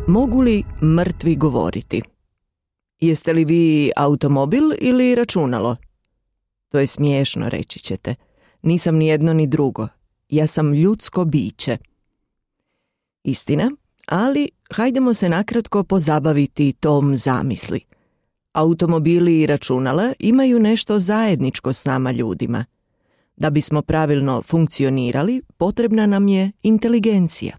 Mogu li mrtvi govoriti? Jeste li vi automobil ili računalo? To je smiješno, reći ćete. Nisam ni jedno ni drugo. Ja sam ljudsko biće. Istina, ali hajdemo se nakratko pozabaviti tom zamisli. Automobili i računala imaju nešto zajedničko s nama ljudima. Da bismo pravilno funkcionirali, potrebna nam je inteligencija.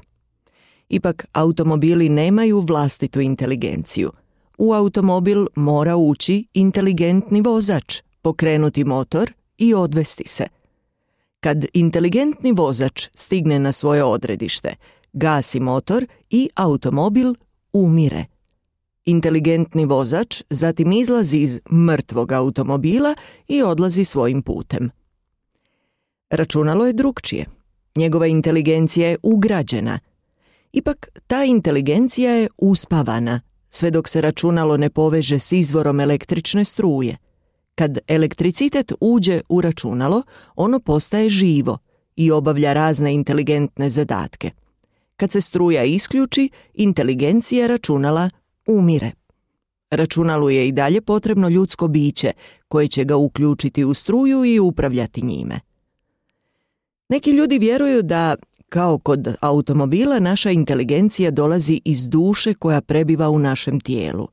Ipak, automobili nemaju vlastitu inteligenciju. U automobil mora ući inteligentni vozač, pokrenuti motor i odvesti se. Kad inteligentni vozač stigne na svoje odredište, gasi motor i automobil umire. Inteligentni vozač zatim izlazi iz mrtvog automobila i odlazi svojim putem. Računalo je drukčije. Njegova inteligencija je ugrađena. Ipak, ta inteligencija je uspavana, sve dok se računalo ne poveže s izvorom električne struje. Kad elektricitet uđe u računalo, ono postaje živo i obavlja razne inteligentne zadatke. Kad se struja isključi, inteligencija računala umire. Računalu je i dalje potrebno ljudsko biće koje će ga uključiti u struju i upravljati njime. Neki ljudi vjeruju da, kao kod automobila, naša inteligencija dolazi iz duše koja prebiva u našem tijelu.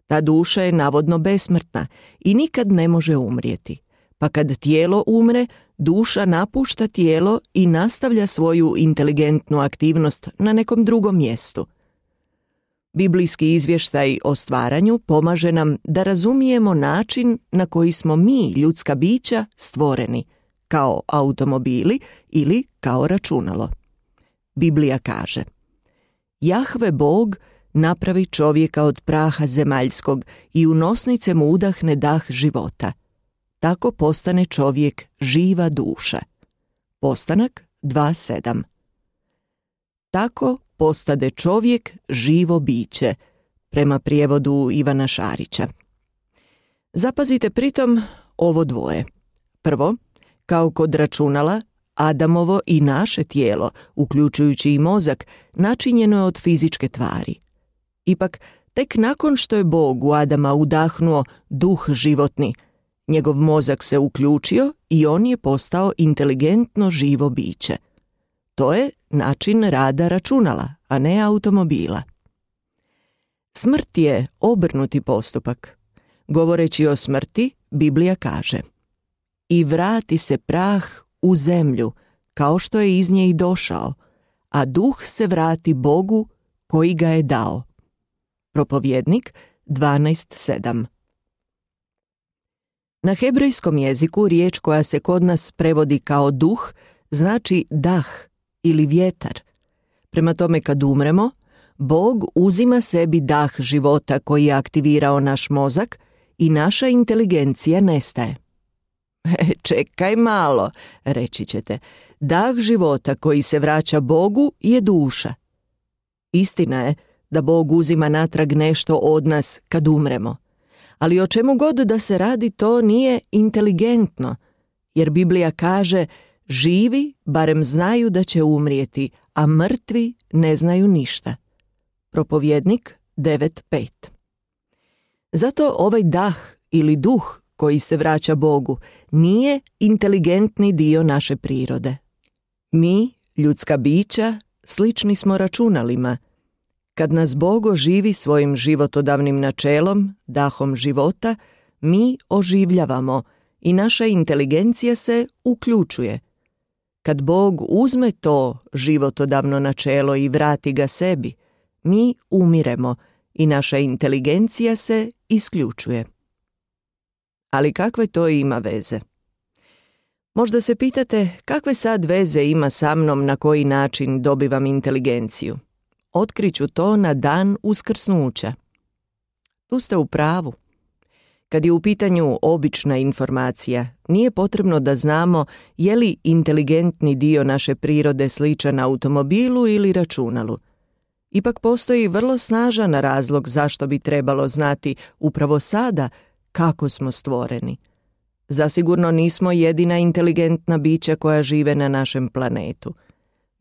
Ta duša je navodno besmrtna i nikad ne može umrijeti. Pa kad tijelo umre, duša napušta tijelo i nastavlja svoju inteligentnu aktivnost na nekom drugom mjestu. Biblijski izvještaj o stvaranju pomaže nam da razumijemo način na koji smo mi, ljudska bića, stvoreni, kao automobili ili kao računalo. Biblija kaže: Jahve Bog napravi čovjeka od praha zemaljskog i u nosnice mu udahne dah života. Tako postane čovjek živa duša. Postanak 2.7. Tako postade čovjek živo biće, prema prijevodu Ivana Šarića. Zapazite pritom ovo dvoje. Prvo, kao kod računala, Adamovo i naše tijelo, uključujući i mozak, načinjeno je od fizičke tvari. Ipak, tek nakon što je Bog u Adama udahnuo duh životni, njegov mozak se uključio i on je postao inteligentno živo biće. To je način rada računala, a ne automobila. Smrt je obrnuti postupak. Govoreći o smrti, Biblija kaže: I vrati se prah u zemlju, kao što je iz nje i došao, a duh se vrati Bogu koji ga je dao. Propovjednik 12.7. Na hebrejskom jeziku riječ koja se kod nas prevodi kao duh znači dah ili vjetar. Prema tome, kad umremo, Bog uzima sebi dah života koji je aktivirao naš mozak i naša inteligencija nestaje. Čekaj malo, reći ćete, dah života koji se vraća Bogu je duša. Istina je da Bog uzima natrag nešto od nas kad umremo, ali o čemu god da se radi, to nije inteligentno, jer Biblija kaže: živi barem znaju da će umrijeti, a mrtvi ne znaju ništa. Propovjednik 9.5. Zato ovaj dah ili duh koji se vraća Bogu nije inteligentni dio naše prirode. Mi, ljudska bića, slični smo računalima. Kad nas Bog oživi svojim životodavnim načelom, dahom života, mi oživljavamo i naša inteligencija se uključuje. Kad Bog uzme to životodavno načelo i vrati ga sebi, mi umiremo i naša inteligencija se isključuje. Ali kakve to ima veze? Možda se pitate kakve sad veze ima sa mnom, na koji način dobivam inteligenciju. Otkriću to na dan uskrsnuća. Tu ste u pravu. Kad je u pitanju obična informacija, nije potrebno da znamo je li inteligentni dio naše prirode sličan automobilu ili računalu. Ipak postoji vrlo snažan razlog zašto bi trebalo znati upravo sada kako smo stvoreni. Zasigurno nismo jedina inteligentna bića koja žive na našem planetu.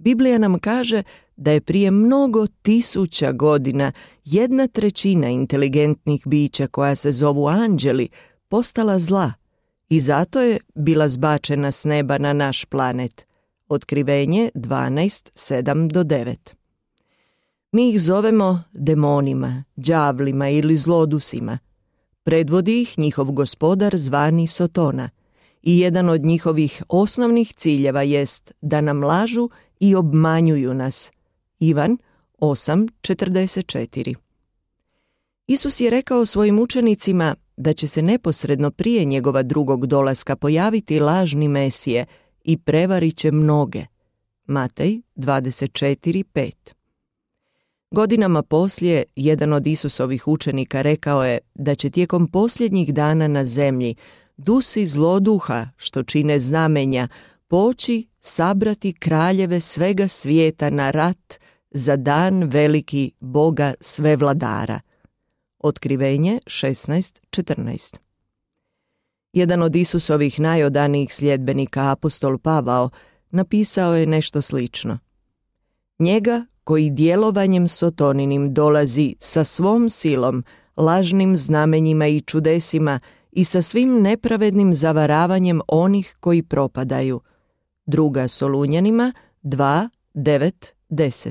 Biblija nam kaže da je prije mnogo tisuća godina 1/3 inteligentnih bića koja se zovu anđeli postala zla i zato je bila zbačena s neba na naš planet. Otkrivenje 12:7-9. Mi ih zovemo demonima, đavlima ili zlodusima. Predvodi ih njihov gospodar zvani Sotona i jedan od njihovih osnovnih ciljeva jest da nam lažu i obmanjuju nas. Ivan 8:44. Isus je rekao svojim učenicima da će se neposredno prije njegova drugog dolaska pojaviti lažni Mesije i prevarit će mnoge. Matej 24:5. Godinama poslije, jedan od Isusovih učenika rekao je da će tijekom posljednjih dana na zemlji dusi zloduha, što čine znamenja, poći sabrati kraljeve svega svijeta na rat za dan veliki Boga svevladara. Otkrivenje 16:14. Jedan od Isusovih najodanijih sljedbenika, apostol Pavao, napisao je nešto slično. Njega koji djelovanjem Sotoninim dolazi sa svom silom, lažnim znamenjima i čudesima i sa svim nepravednim zavaravanjem onih koji propadaju. 2. Solunjanima 2:9-10.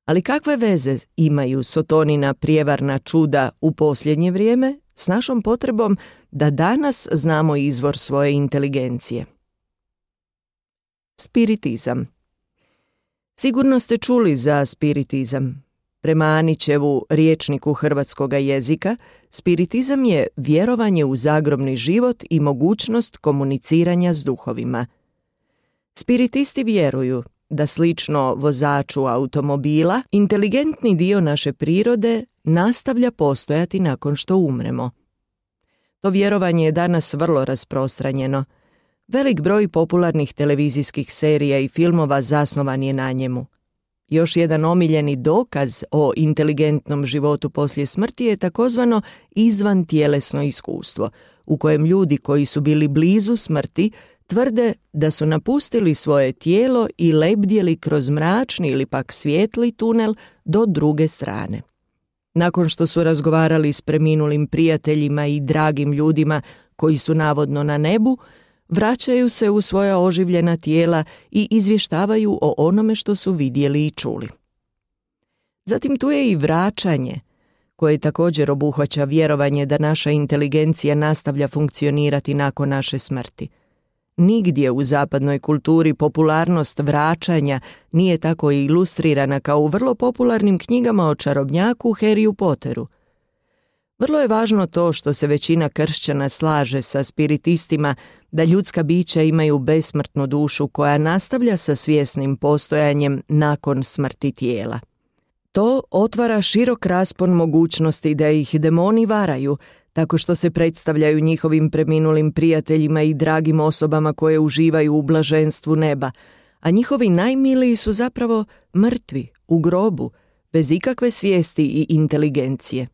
Ali kakve veze imaju Sotonina prijevarna čuda u posljednje vrijeme s našom potrebom da danas znamo izvor svoje inteligencije? Spiritizam. Sigurno ste čuli za spiritizam. Prema Anićevu rječniku hrvatskoga jezika, spiritizam je vjerovanje u zagrobni život i mogućnost komuniciranja s duhovima. Spiritisti vjeruju da slično vozaču automobila, inteligentni dio naše prirode nastavlja postojati nakon što umremo. To vjerovanje je danas vrlo rasprostranjeno. Velik broj popularnih televizijskih serija i filmova zasnovan je na njemu. Još jedan omiljeni dokaz o inteligentnom životu poslije smrti je takozvano izvantjelesno iskustvo, u kojem ljudi koji su bili blizu smrti tvrde da su napustili svoje tijelo i lebdjeli kroz mračni ili pak svijetli tunel do druge strane. Nakon što su razgovarali s preminulim prijateljima i dragim ljudima koji su navodno na nebu, vraćaju se u svoja oživljena tijela i izvještavaju o onome što su vidjeli i čuli. Zatim tu je i vraćanje, koje također obuhvaća vjerovanje da naša inteligencija nastavlja funkcionirati nakon naše smrti. Nigdje u zapadnoj kulturi popularnost vraćanja nije tako ilustrirana kao u vrlo popularnim knjigama o čarobnjaku Harryu Potteru. Vrlo je važno to što se većina kršćana slaže sa spiritistima da ljudska bića imaju besmrtnu dušu koja nastavlja sa svjesnim postojanjem nakon smrti tijela. To otvara širok raspon mogućnosti da ih demoni varaju, tako što se predstavljaju njihovim preminulim prijateljima i dragim osobama koje uživaju u blaženstvu neba, a njihovi najmiliji su zapravo mrtvi, u grobu, bez ikakve svijesti i inteligencije.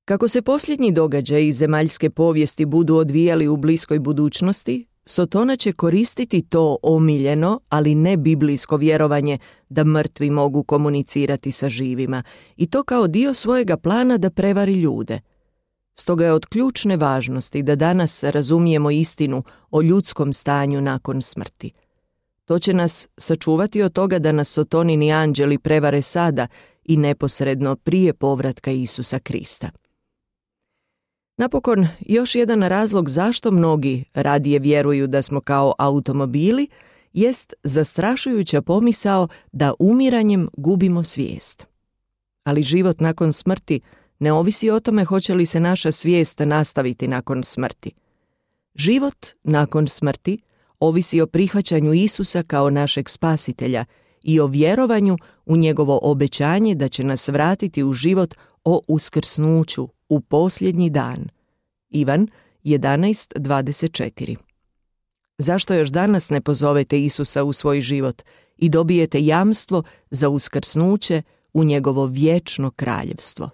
Kako se posljednji događaji iz zemaljske povijesti budu odvijali u bliskoj budućnosti, Sotona će koristiti to omiljeno, ali ne biblijsko vjerovanje da mrtvi mogu komunicirati sa živima, i to kao dio svojega plana da prevari ljude. Stoga je od ključne važnosti da danas razumijemo istinu o ljudskom stanju nakon smrti. To će nas sačuvati od toga da nas Sotonini anđeli prevare sada i neposredno prije povratka Isusa Krista. Napokon, još jedan razlog zašto mnogi radije vjeruju da smo kao automobili jest zastrašujuća pomisao da umiranjem gubimo svijest. Ali život nakon smrti ne ovisi o tome hoće li se naša svijest nastaviti nakon smrti. Život nakon smrti ovisi o prihvaćanju Isusa kao našeg spasitelja i o vjerovanju u njegovo obećanje da će nas vratiti u život o uskrsnuću u posljednji dan. Ivan 11:24. Zašto još danas ne pozovete Isusa u svoj život i dobijete jamstvo za uskrsnuće u njegovo vječno kraljevstvo?